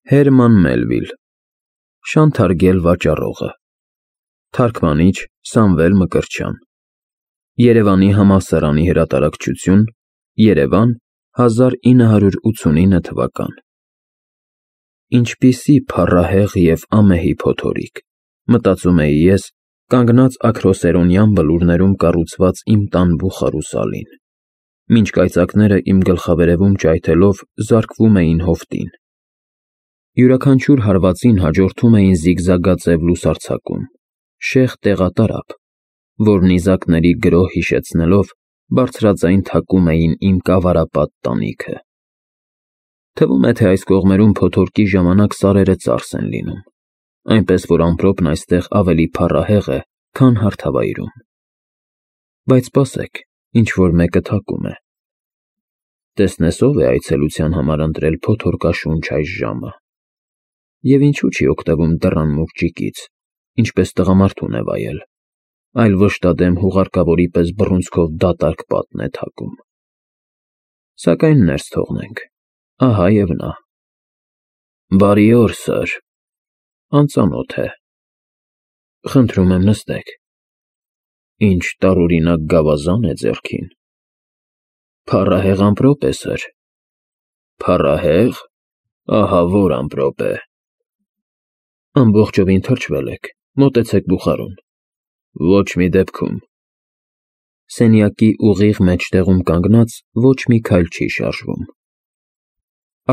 Հերման Մելվիլ, Շանթարգել վաճառողը, Թարգմանիչ Սամվել Մկրտչյան, Երևանի համալսարանի հրատարակչություն, Երևան, 1989 թվական։ Ինչպիսի փառահեղ և ամեհի փոթորիկ, մտածում էի ես, կանգնած աքրոսերոնյան բլուրներում կառուցված իմ տան բուխարու սալին, մինչ կայծակները իմ գլխավերևում ճայթելով զարկվում էին հովտին։ Յուրաքանչյուր հարվածին հաջորդում էին զիգզագաձև լուսարձակում, շեղ տեղատարափ, որ նիզակների գրոհ հիշեցնելով բարձրաձայն թակում էին իմ կավարապատ տանիքը։ Թվում է, թե այս կողմերում փոթորկի ժամանակ սարերը ծարս են լինում, այնպես որ ամպրոպն այստեղ ավելի փառահեղ է, քան հարթավայրում։ Բայց սպասեք, ինչ-որ մեկը թակում է։ Տեսնես ով է այցելության համար ընտրել փոթորկաշունչ այս ժամը։ Եվ ինչու չի օգտվում դռան մուրճիկից, ինչպես տղամարդուն է վայել, այլ վշտադեմ հուղարկավորի պես բռունցքով դատարկ պատն է թակում։ Սակայն ներս թողնենք, ահա և նա։ Բարի օր, սըր, անծանոթ է։ Խնդրում եմ նստեք։ Ինչ տարօրինակ գավազան է ձեռքին։ Փառահեղ ամպրոպ է, սըր։ Փառահեղ, ահա որ ամպրոպ է։ Ամբողջովին թրջվել եք, մոտեցեք բուխարուն։ Ոչ մի դեպքում։ Սենյակի ուղիղ մեջտեղում կանգնած ոչ մի քայլ չի շարժվում։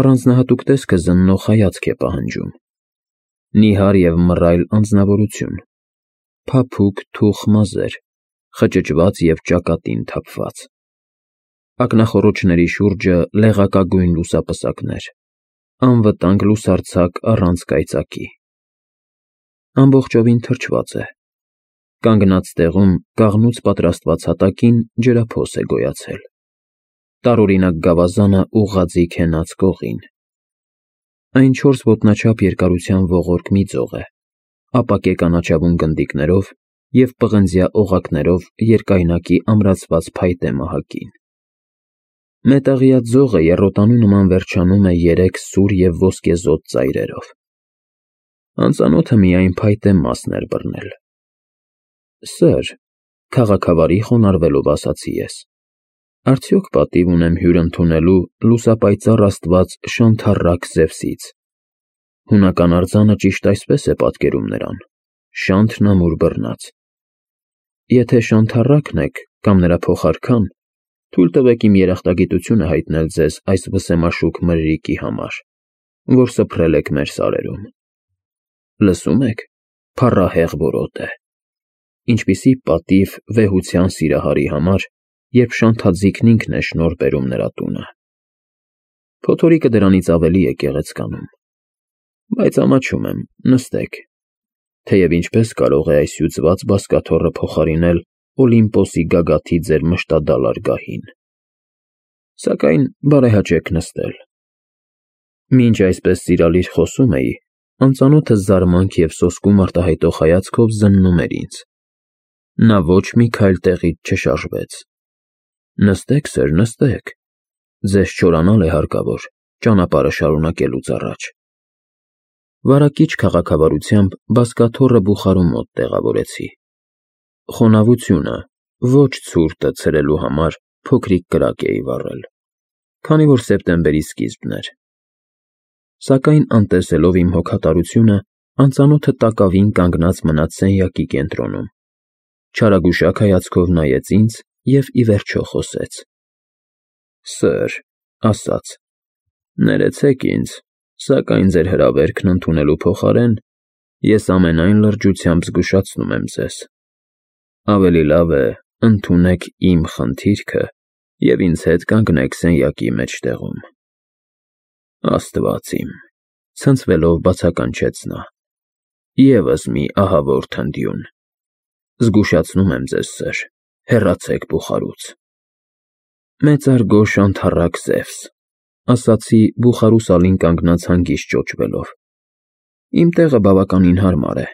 Առանձնահատուկ տեսքը զննող հայացք է պահանջում։ Նիհար և մռայլ անձնավորություն, փափուկ թուխ մազեր, խճճված և ճակատին թափված։ Ակնախոռոչների շուրջը լեղակագույն լուսապսակներ, անվտանգ լուսարձակ առանց կայծակի։ Ամբողջովին թրջված է։ Կանգնած տեղում կաղնուց պատրաստված հատակին ջրափոս է գոյացել։ Տարօրինակ գավազանը ուղղաձիգ հենած կողին։ Այն 4 ոտնաչափ երկարության ողորկ մի ձող է, ապակե կանաչավուն գնդիկներով և պղնձյա օղակներով երկայնակի ամրացված փայտե մահակին։ Մետաղյա ձողը եռոտանու նման վերջանում է 3 սուր և ոսկեզօծ ծայրերով։ Անծանոթը միայն փայտե մասն էր բռնել։ Սըր, քաղաքավարի խոնարհվելով ասացի ես, արդյոք պատիվ ունեմ հյուր ընդունելու լուսապայծառ աստված Շանթառակ Զևսից։ Հունական արձանը ճիշտ այսպես է պատկերում նրան. շանթն ամուր բռնած։ Եթե Շանթառակն եք կամ նրա փոխարքան, թույլ տվեք իմ երախտագիտությունը հայտնել ձեզ այս վսեմաշուք մրրիկի համար, որ սփռել եք մեր սարերում։ Լսում եք, փառահեղ որոտ է։ Ինչպիսի պատիվ վեհության սիրահարի համար, երբ շանթաձիգն ինքն է շնորհ բերում նրա տունը։ Փոթորիկը դրանից ավելի է գեղեցկանում։ Բայց ամաչում եմ, նստեք։ Թեև ինչպես կարող է այս հյուծված բազկաթոռը փոխարինել Օլիմպոսի գագաթի ձեր մշտադալար գահին։ Սակայն բարեհաճեք նստել։ Մինչ այսպես սիրալիր խոսում էի, անծանոթը զարմանք և սոսկում արտահայտող հայացքով զննում էր ինձ։ Նա ոչ մի քայլ տեղից չշարժվեց։ Նստեք, սըր, նստեք։ Ձեզ չորանալ է հարկավոր, ճանապարհը շարունակելուց առաջ։ Վարակիչ քաղաքավարությամբ բազկաթոռը բուխարու մոտ տեղավորեցի։ Խոնավությունը, ոչ ցուրտը ցրելու համար փոքրիկ կրակ էի վառել, քանի որ սեպտեմբերի սկիզբն էր։ Սակայն անտեսելով իմ հոգատարությունը, անծանոթը տակավին կանգնած մնաց սենյակի կենտրոնում, չարագուշակ հայացքով նայեց ինձ և ի վերջո խոսեց. Սըր, ասաց, ներեցեք ինձ, սակայն ձեր հրավերքն ընդունելու փոխարեն ես ամենայն լրջությամբ զգուշացնում եմ ձեզ. ավելի լավ է ընդունեք իմ խնդիրքը և ինձ հետ կանգնեք սենյակի մեջտեղում։ Աստված իմ, ցնցվելով բացականչեց նա, ևս մի ահավոր թնդյուն։ Զգուշացնում եմ ձեզ, սըր, հեռացեք բուխարուց։ Մեծարգո Շանթառակ Զևս, ասացի բուխարու սալին կանգնած հանգիստ ճոճվելով։ Իմ տեղը բավականին հարմար է։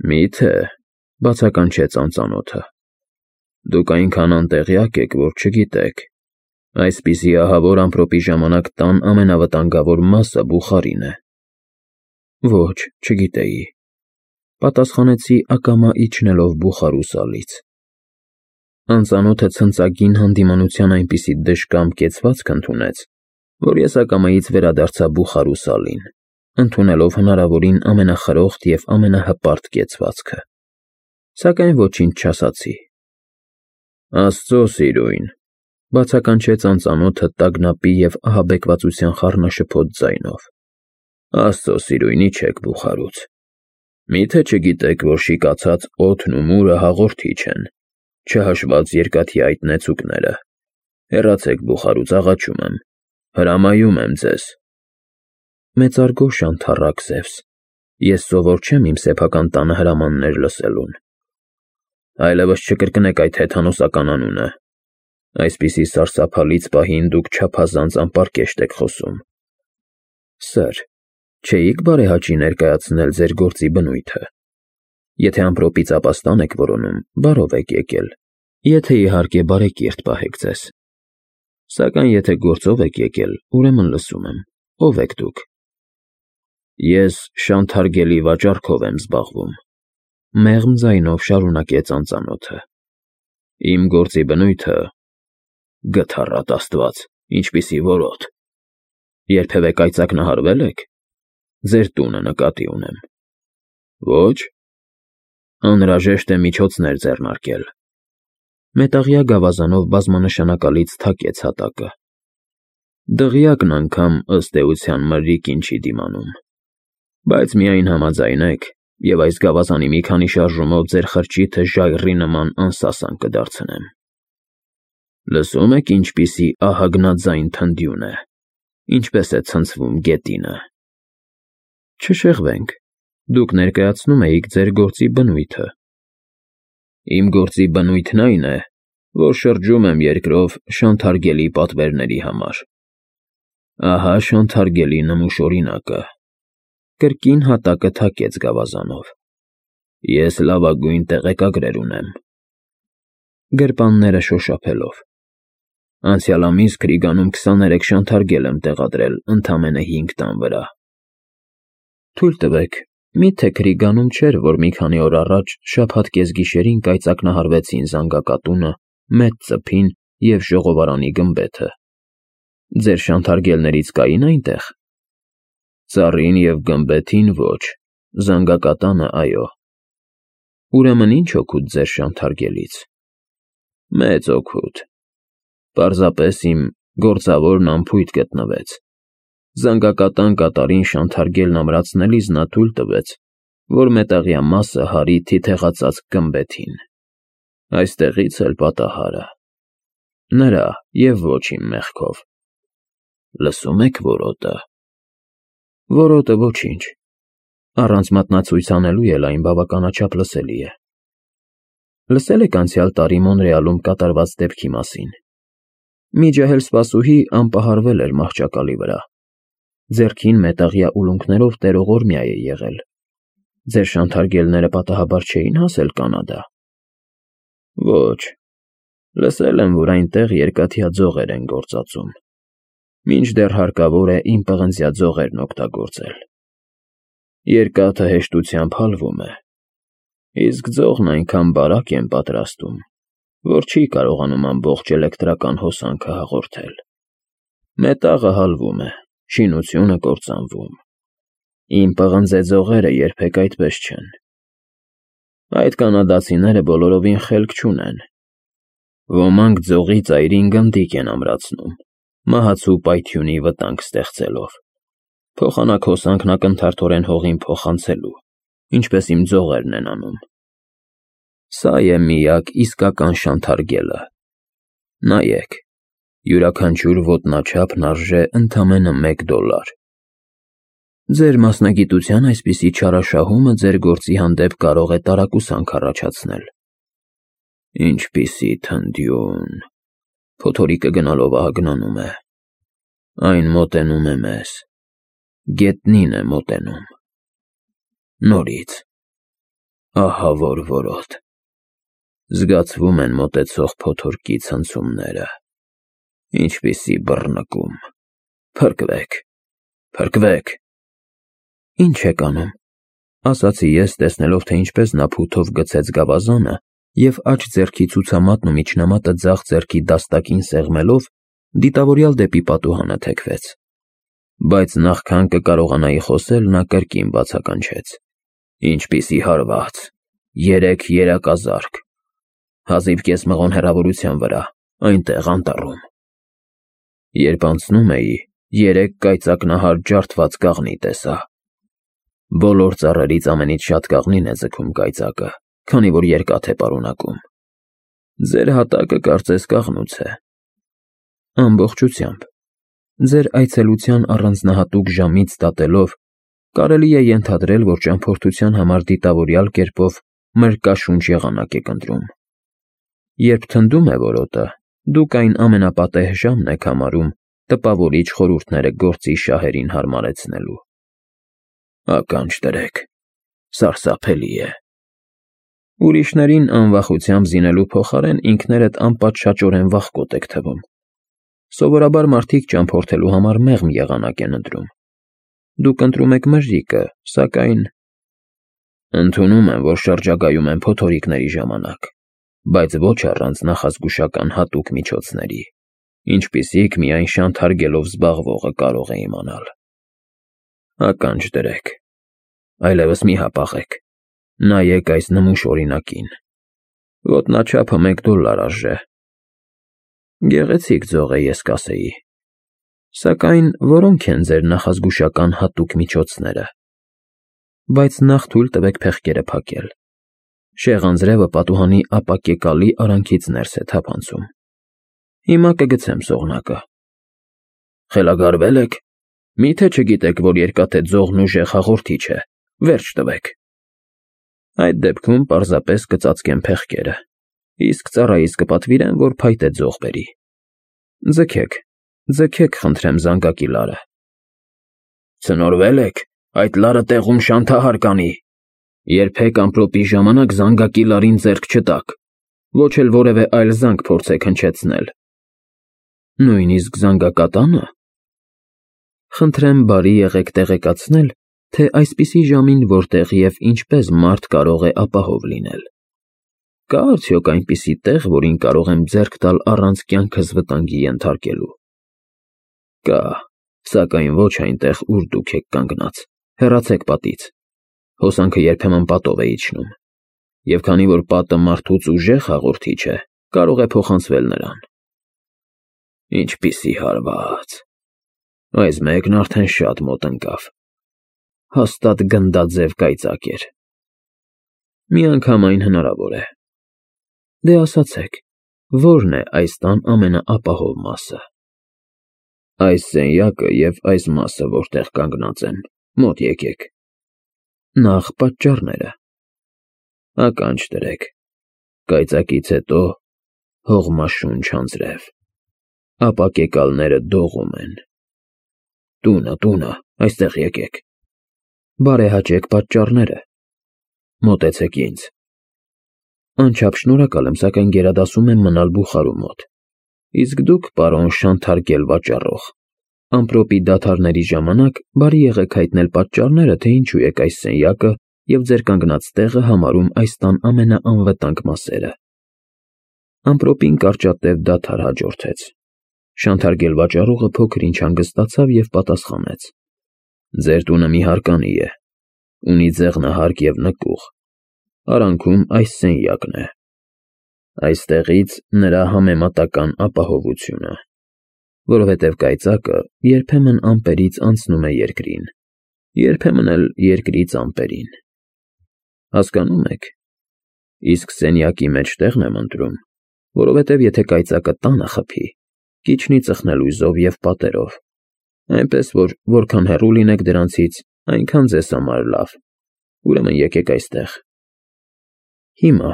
Մի՞թե, բացականչեց անծանոթը։ Դուք այնքան անտեղյակ եք, որ չգիտեք։ Այսպիսի ահավոր ամպրոպի ժամանակ տան ամենավտանգավոր մասը բուխարին է։ Ոչ, չգիտեի, պատասխանեցի ակամա իջնելով բուխարու սալից։ Անծանոթը ցնծագին հանդիմանության այնպիսի դժկամ կեցվածք ընդունեց, որ ես ակամայից վերադարձա բուխարու սալին, ընդունելով հնարավորին ամենախրոխտ և ամենահպարտ կեցվածքը, սակայն ոչինչ չասացի։ Աստծո սիրույն, բացականչեց անծանոթը տագնապի և ահաբեկվածության խառնաշփոթ ձայնով։ Աստծո սիրույն, իջեք բուխարուց։ Միթե չգիտեք, որ շիկացած օդն ու մուրը հաղորդիչ են, չհաշված երկաթի այդ նեցուկները։ Հեռացեք բուխարուց, աղաչում եմ, հրամայում եմ ձեզ։ Մեծարգո շանթառակ Զևս, ես սովոր չեմ իմ սեփական տանը հրամաններ լսելուն։ Այլևս չկրկնեք այդ հեթանոսական անունը։ Այսպիսի սարսափալից պահին դուք չափազանց անպարկեշտ եք խոսում։ Սըր, չէիք բարեհաճի ներկայացնել ձեր գործի բնույթը։ Եթե ամպրոպից ապաստան եք որոնում, բարով եք եկել, եթե իհարկե բարեկիրթ պահեք ձեզ։ Սակայն եթե գործով եք եկել, ուրեմն լսում եմ, ով եք դուք։ Ես շանթարգելի վաճառքով եմ զբաղվում, մեղմ ձայնով շարունակեց անծանոթը։ Իմ գործի բնույթը, գթառատ Աստված, ինչպիսի որոտ։ Երբևէ կայծակնահարվե՞լ եք։ Ձեր տունը նկատի ունեմ։ Ոչ։ Անհրաժեշտ է միջոցներ ձեռնարկել։ Մետաղյա գավազանով բազմանշանակալից թակեց հատակը։ Դղյակն անգամ ըստ էության մրրիկին չի դիմանում։ Բայց միայն համաձայնեք, և այս գավազանի մի քանի շարժումով ձեր խրճիթը ժայռի նման անսասան կդարձնեմ։ Լսում եք ինչպիսի ահագնաձայն թնդյուն է, ինչպես է ցնցվում գետինը։ Չշեղվենք, դուք ներկայացնում էիք ձեր գործի բնույթը։ Իմ գործի բնույթն այն է, որ շրջում եմ երկրով շանթարգելի պատվերների համար։ Ահա շանթարգելի նմուշ օրինակը։ Կրկին հատակը թակեց գավազանով։ Ես լավագույն տեղեկագրեր ունեմ։ Գրպանները շոշափելով։ Անցյալ ամիս Քրիգանում 23 շանթարգել եմ տեղադրել ընդամենը 5 տան վրա։ Թույլ տվեք, միթե Քրիգանում չէր, որ մի քանի օր առաջ շաբաթ կեսգիշերին կայծակնահարվեցին զանգակատունը, մեծ ծփին և ժողովարանի գմբեթը։ Ձեր շանթարգելներից կային այնտեղ։ Ծառին և գմբեթին ոչ, զանգակատանը այո։ Ուրեմն ինչ օգուտ ձեր շանթարգելից։ Մեծ օգուտ։ Պարզապես իմ գործավորն անփույթ գտնվեց։ Զանգակատան կատարին շանթարգելն ամրացնելիս նա թույլ տվեց, որ մետաղյա մասը հարի թիթեղածածկ գմբեթին։ Այստեղից էլ պատահարը։ Նրա և ոչ իմ մեղքով։ Լսում եք որոտը։ Որոտը ոչինչ։ Առանց մատնացույց անելու էլ այն բավականաչափ լսելի է։ Լսել եք անցյալ տարի Մոնրեալում կատարված դեպքի մասին։ Մի ջահել սպասուհի անպահարվել էր մահճակալի վրա։ Ձեռքին մետաղյա ուլունքներով տերողորմյա է եղել։ Ձեր շանթարգելները պատահաբար չէին հասել Կանադա։ Ոչ։ Լսել եմ, որ այնտեղ երկաթյա ձողեր են գործածում։ Մինչդեռ հարկավոր է իմ պղնձյա ձողերն օգտագործել։ Երկաթը հեշտությամբ հալվում է, իսկ ձողն այնքան բարակ են պատրաստում, որ չի կարողանում ամբողջ էլեկտրական հոսանքը հաղորդել։ Մետաղը հալվում է, շինությունը կործանվում։ Իմ պղնձե ձողերը երբեք այդպես չեն։ Այդ կանադացիները բոլորովին խելք չունեն։ Ոմանք ձողի ծայրին գնդիկ են ամրացնում, մահացու պայթյունի վտանգ ստեղծելով, փոխանակ հոսանքն ակնթարթորեն հողին փոխանցելու, ինչպես իմ ձողերն են անում։ Սա է միակ իսկական շանթարգելը։ Նայեք, յուրաքանչյուր ոտնաչափն արժե ընդամենը $1։ Ձեր մասնագիտության այսպիսի չարաշահումը ձեր գործի հանդեպ կարող է տարակուսանք առաջացնել։ Ինչպիսի թնդյուն, փոթորիկը գնալով ահագնանում է։ Այն մոտենում է մեզ, գետնին է մոտենում։ Նորից, ահա որ որոտ։ Զգացվում են մոտեցող փոթորկի ցնցումները։ Ինչպիսի բռնկում։ Փրկվեք, փրկվեք։ Ինչ եք անում, ասացի ես, տեսնելով, թե ինչպես նա փութով գցեց գավազանը և աջ ձեռքի ցուցամատն ու միջնամատը ձախ ձեռքի դաստակին սեղմելով, դիտավորյալ դեպի պատուհանը թեքվեց։ Բայց նախքան կկարողանայի խոսել, նա կրկին բացականչեց. Ինչպիսի հարված, 3 երակազարկ, հազիվ կես մղոն հեռավորության վրա, այնտեղ անտառում։ Երբ անցնում էի, 3 կայծակնահար ջարդված կաղնի տեսա։ Բոլոր ծառերից ամենից շատ կաղնին է ձգում կայծակը, քանի որ երկաթ է պարունակում։ Ձեր հատակը կարծես կաղնուց է։ Ամբողջությամբ, ձեր այցելության առանձնահատուկ ժամից դատելով, կարելի է ենթադրել, որ ճամփորդության համար դիտավորյալ կերպով մրկաշունչ եղանակ եք ընտրում։ Երբ թնդում է որոտը, դուք այն ամենապատեհ ժամն եք համարում տպավորիչ խորհուրդները գործի շահերին հարմարեցնելու։ Ականջ դրեք, սարսափելի է։ Ուրիշներին անվախությամբ զինելու փոխարեն ինքներդ անպատշաճորեն վախկոտ եք թվում։ Սովորաբար մարդիկ ճամփորդելու համար մեղմ եղանակ են ընտրում։ Դուք ընտրում եք մրրիկը, սակայն… Ընդունում եմ, որ շրջագայում են փոթորիկների ժամանակ, բայց ոչ առանց նախազգուշական հատուկ միջոցների, ինչպիսիք միայն շանթ հարգելով զբաղվողը կարող է իմանալ։ Ականջ դրեք, այլևս մի հապաղեք, նայեք այս նմուշ օրինակին։ Ոտնաչափը $1 արժե։ Գեղեցիկ ձող է, ես կասեի։ Սակայն որոնք են ձեր նախազգուշական հատուկ միջոցները։ Բայց նախ թույլ տվեք փեղկերը փակել։ Շեղանձրևը պատուհանի ապակեկալի արանքից ներս է թափանցում։ Հիմա կգցեմ սողնակը։ Խելագարվե՞լ եք։ Մի՞թե չգիտեք, որ երկաթե ձողն ուժեղ հաղորդիչ է։ Վերջ տվեք։ Այդ դեպքում պարզապես կծածկեմ փեղկերը, իսկ ծառայից կպատվիրեմ, որ փայտե ձող բերի։ Ձգեք, ձգեք, խնդրեմ, զանգակի լարը։ Ցնորվել եք, այդ լարը տեղում շանթահար կանի։ Երբեք ամպրոպի ժամանակ զանգակի լարին ձեռք չտաք, ոչ էլ որևէ այլ զանգ փորձեք հնչեցնել։ Նույնիսկ զանգակատանը։ Խնդրեմ բարի եղեք տեղեկացնել, թե այսպիսի ժամին որտեղ և ինչպես մարդ կարող է ապահով լինել։ Կա արդյոք այնպիսի տեղ, որին կարող եմ ձեռք տալ առանց կյանքս վտանգի ենթարկելու։ Կա, սակայն ոչ այնտեղ, ուր դուք եք կանգնած, հեռացեք պատից։ Հոսանքը երբեմն պատով է իջնում, և քանի որ պատը մարդուց ուժեղ հաղորդիչ է, կարող է փոխանցվել նրան։ Ինչպիսի հարված։ Այս մեկն արդեն շատ մոտ ընկավ։ Հաստատ գնդաձև կայծակ էր։ Միանգամայն հնարավոր է։ Դե ասացեք, ո՞րն է այս տան ամենաապահով մասը։ Այս սենյակը և այս մասը, որտեղ կանգնած եմ, մոտ եկեք։ Նախ պատճառները։ Ականջ դրեք, կայծակից հետո հողմաշունչ անձրև, ապակեկալները դողում են։ Տունը, այստեղ եկեք։ Բարեհաճեք պատճառները։ Մոտեցեք ինձ։ Անչափ շնորհակալ եմ, սակայն գերադասում եմ մնալ բուխարու մոտ։ Իսկ դուք, պարոն շանթարգել վաճառող, ամպրոպի դադարների ժամանակ բարի եղեք հայտնել պատճառները, թե ինչու եք այս սենյակը և ձեր կանգնած տեղը համարում այս տան ամենաանվտանգ մասերը։ Ամպրոպին կարճատև դադար հաջորդեց։ Շանթարգել վաճառողը փոքր-ինչ հանգստացավ և պատասխանեց. Ձեր տունը մի հարկանի է, ունի ձեղնահարկ և նկուղ, արանքում այս սենյակն է։ Այստեղից նրա համեմատական ապահովությունը, որովհետև կայծակը երբեմն ամպերից անցնում է երկրին, երբեմն էլ երկրից ամպերին։ Հասկանում եք։ Իսկ սենյակի մեջտեղն եմ ընտրում, որովհետև եթե կայծակը տանը խփի, կիջնի ծխնելույզով և պատերով, այնպես որ որքան հեռու լինեք դրանցից, այնքան ձեզ համար լավ։ Ուրեմն եկեք այստեղ։ Հիմա,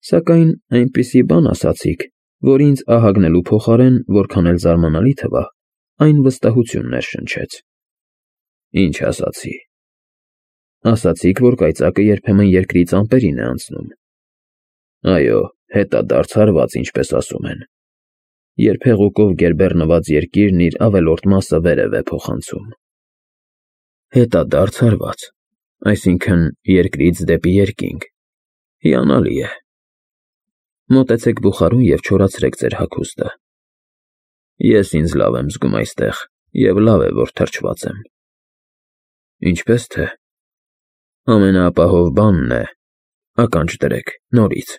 սակայն այնպիսի բան ասացիք, որ ինձ ահագնելու փոխարեն, որքան էլ զարմանալի թվա, այն վստահություն ներշնչեց։ Ինչ ասացի։ Ասացիք, որ կայծակը երբեմն երկրից ամպերին է անցնում։ Այո, հետադարձ հարված, ինչպես ասում են։ երբ հեղուկով գերբեռնված երկիրն իր ավելորդ մասը վերև է փոխանցում։ Հետադարձ հարված, այսինքն երկրից դեպի երկինք, հիանալի է։ Մոտեցեք բուխարուն և չորացրեք ձեր հագուստը։ Ես ինձ լավ եմ զգում այստեղ, և լավ է, որ թրջված եմ։ Ինչպես թե, ամենաապահով բանն է, ականջ դրեք, նորից։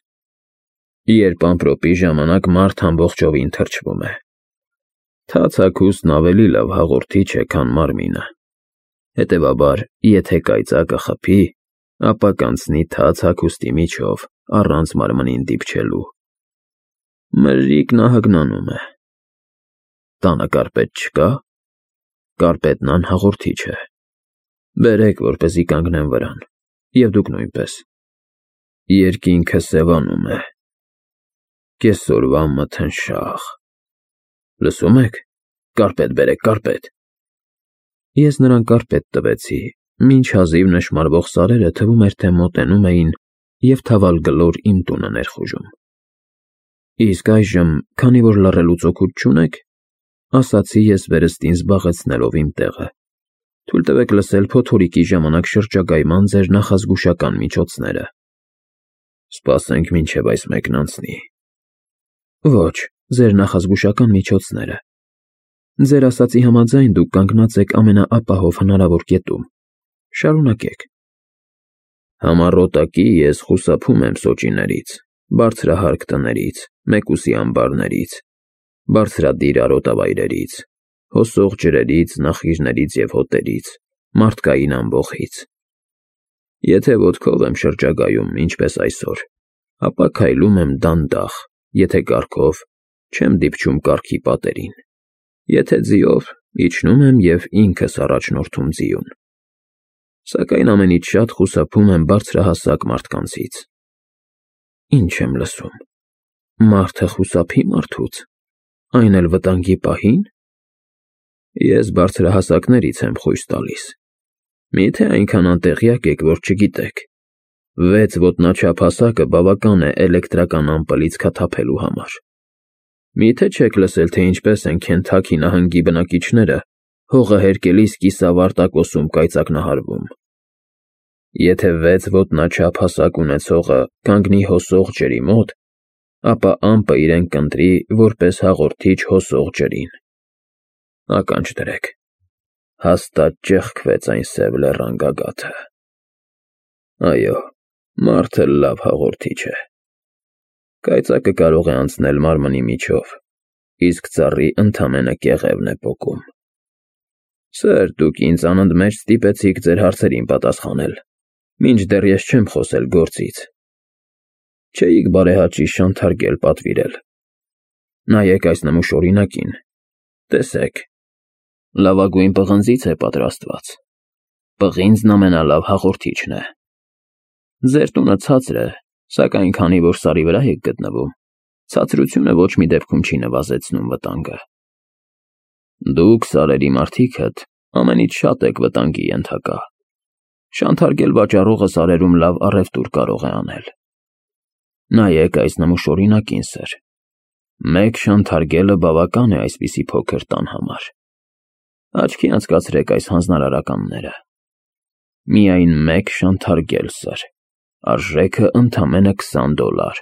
Երբ ամպրոպի ժամանակ մարդ ամբողջովին թրջվում է։ Թաց հագուստն ավելի լավ հաղորդիչ է, քան մարմինը։ Հետևաբար, եթե կայծակը խփի, ապա կանցնի թաց հագուստի միջով, առանց մարմնին դիպչելու։ Մրրիկն ահագնանում է։ Տանը կարպետ չկա։ Կարպետն անհաղորդիչ է։ Բերեք, որպեսզի կանգնեմ վրան, և դուք նույնպես։ Երկինքը սևանում է։ Կեսօրվա մթնշաղ։ Լսում եք։ Կարպետ բերեք, կարպետ։ Ես նրան կարպետ տվեցի, մինչ հազիվ նշմարվող սարերը թվում էր, թե մոտենում էին և թավալգլոր իմ տունը ներխուժում։ Իսկ այժմ, քանի որ լռելուց օգուտ չունեք, ասացի ես վերստին զբաղեցնելով իմ տեղը, թույլ տվեք լսել փոթորիկի ժամանակ շրջագայման ձեր նախազգուշական միջոցները։ Սպասենք, մինչև այս մեկն անցնի։ Ոչ, ձեր նախազգուշական միջոցները։ Ձեր ասացի համաձայն դուք կանգնած եք ամենաապահով հնարավոր կետում։ Շարունակեք։ Համառոտակի ես խուսափում եմ սոճիներից, բարձրահարկ տներից, մեկուսի ամբարներից, բարձրադիր արոտավայրերից, հոսող ջրերից, նախիրներից և հոտերից, մարդկային ամբոխից։ Եթե ոտքով եմ շրջագայում, ինչպես այսօր, ապա քայլում եմ դանդաղ, եթե կառքով, չեմ դիպչում կառքի պատերին, եթե ձիով, իջնում եմ և ինքս առաջնորդում ձիուն։ Սակայն ամենից շատ խուսափում եմ բարձրահասակ մարդկանցից։ Ինչ եմ լսում։ Մարդը խուսափի մարդուց, այն էլ վտանգի պահի՞ն։ Ես բարձրահասակներից եմ խույս տալիս։ Միթե այնքան անտեղյակ եք, որ չգիտեք։ 6 ոտնաչափ հասակը բավական է էլեկտրական ամպլից քաթափելու համար։ Միթե չեք լսել, թե ինչպես են Քենթաքի նահանգի բնակիչները հողը հերկելիս կիսավար տակոսում կայծակնահարվում։ Եթե 6 ոտնաչափ հասակ ունեցողը կանգնի հոսող ջրի մոտ, ապա ամպը իրեն կընտրի որպես հաղորդիչ հոսող ջրին։ Ականջ դրեք։ Հաստատ ճեղքվեց այն սև լեռան գագաթը։ Այո, մարդը լավ հաղորդիչ է։ Կայծակը կարող է անցնել մարմնի միջով, իսկ ծառի ընդամենը կեղևն է պոկում։ Սըր, դուք ինձ անընդմեջ ստիպեցիք ձեր հարցերին պատասխանել, մինչդեռ ես չեմ խոսել գործից։ Չէիք բարեհաճի շանթարգել պատվիրել։ Նայեք այս նմուշ օրինակին։ Տեսեք։ Լավագույն պղնձից է պատրաստված։ Պղինձն ամենալավ հաղորդիչն է։ Ձեր տունը ցածր է, սակայն քանի որ սարի վրա եք գտնվում, ցածրությունը ոչ մի դեպքում չի նվազեցնում վտանգը։ Դուք, սարերի մարդիկդ, ամենից շատ եք վտանգի ենթակա։ Շանթարգել վաճառողը սարերում լավ առևտուր կարող է անել։ Նայեք այս նմուշ օրինակին, սըր։ Մեկ շանթարգելը բավական է այսպիսի փոքր տան համար։ Աչքի անցկացրեք այս հանձնարարականները։ Միայն մեկ շանթարգել, սըր, արժեքը ընդամենը $20։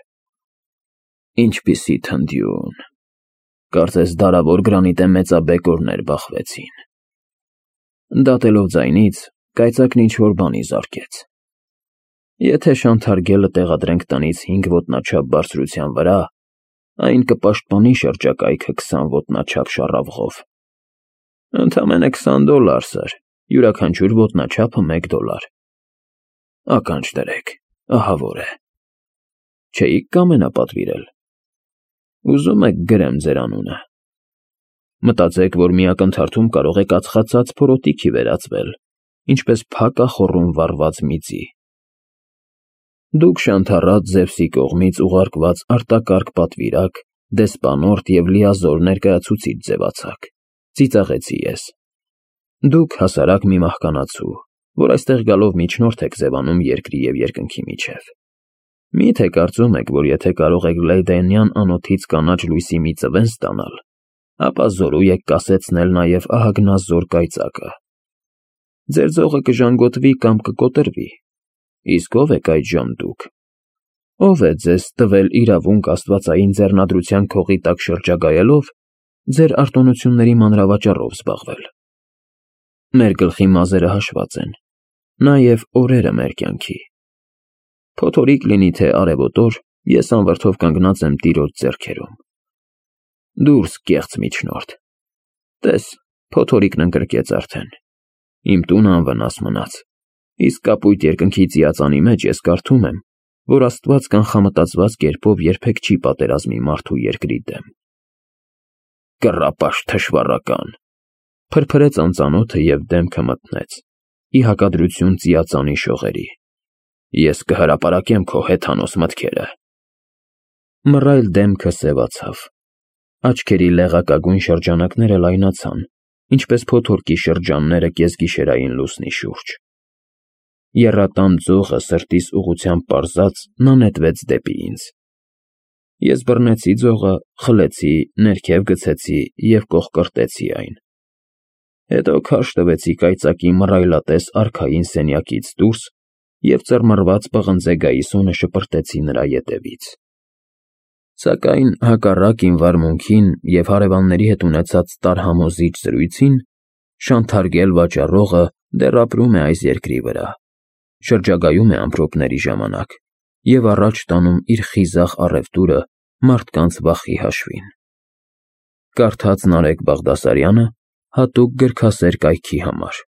Ինչպիսի թնդյուն։ Կարծես դարավոր գրանիտե մեծաբեկորներ բախվեցին։ Դատելով ձայնից, կայծակն ինչ-որ բանի զարկեց։ Եթե շանթարգելը տեղադրենք տնից 5 ոտնաչափ բարձրության վրա, այն կպաշտպանի շրջակայքը 20 ոտնաչափ շառավղով։ Ընդամենը $20, սըր, յուրաքանչյուր ոտնաչափը $1։ Ականջ դրեք, ահավոր է։ Չէիք կամենապատվիրել։ Ուզում եք գրեմ ձեր անունը։ Մտածեք, որ մի ակնթարթում կարող եք ածխացած փորոտիքի վերածվել, ինչպես փակախոռում վառված միծի։ Դուք շանթառած Զևսի կողմից ուղարկված արտակարգ պատվիրակ, դեսպանորդ և լիազոր ներկայացուցիչ ձևացաք, ծիծաղեցի ես։ Դուք հասարակ մի մահկանացու, որ այստեղ գալով միջնորդ եք ձևանում երկրի և երկնքի միջև։ Մի՞թե կարծում եք, որ եթե կարող եք Լեյդենյան անոթից կանաչ լույսի մի ծվեն ստանալ, ապա զորու եք կասեցնել նաև ահագնազոր կայծակը։ Ձեր ձողը կժանգոտվի կամ կկոտրվի, իսկ ով եք այդժամ դուք։ Ով է ձեզ տվել իրավունք աստվածային ձեռնադրության քողի տակ շրջագայելով ձեր արտոնությունների մանրավաճառով զբաղվել։ Մեր գլխի մազերը հաշված են, նաև օրերը մեր կյանքի։ Փոթորիկ լինի թե արևոտ օր, ես անվրդով կանգնած եմ տիրոջ ձեռքերում։ Դուրս, կեղծ միջնորդ։ Տես, փոթորիկն ընկրկեց արդեն։ Իմ տունը անվնաս մնաց, իսկ կապույտ երկնքի ծիածանի մեջ ես կարդում եմ, որ Աստված կանխամտածված կերպով երբեք չի պատերազմի մարդու երկրի դեմ։ Կռապաշտ թշվառական, փրփրեց անծանոթը և դեմքը մթնեց, ի հակադրություն ծիածանի շողերի։ Ես կհրապարակեմ քո հեթանոս մտքերը։ Մռայլ դեմքը սևացավ, աչքերի լեղակագույն շրջանակները լայնացան, ինչպես փոթորկի շրջանները կեսգիշերային լուսնի շուրջ։ Եռատան ձողը սրտիս ուղղությամբ պարզած նա նետվեց դեպի ինձ։ Ես բռնեցի ձողը, խլեցի, ներքև գցեցի և կոխկրտեցի այն։ Հետո քարշ տվեցի կայծակի մռայլատես արքային սենյակից դուրս և ծռմռված պղնձե գայիսոնը շպրտեցի նրա ետևից։ Սակայն հակառակ իմ վարմունքին և հարևանների հետ ունեցած տարհամոզիչ զրույցին, շանթարգել վաճառողը դեռ ապրում է այս երկրի վրա, շրջագայում է ամպրոպների ժամանակ և առաջ տանում իր խիզախ առևտուրը մարդկանց վախի հաշվին։ Կարդաց Նարեկ Բաղդասարյանը հատուկ գրքասեր կայքի համար։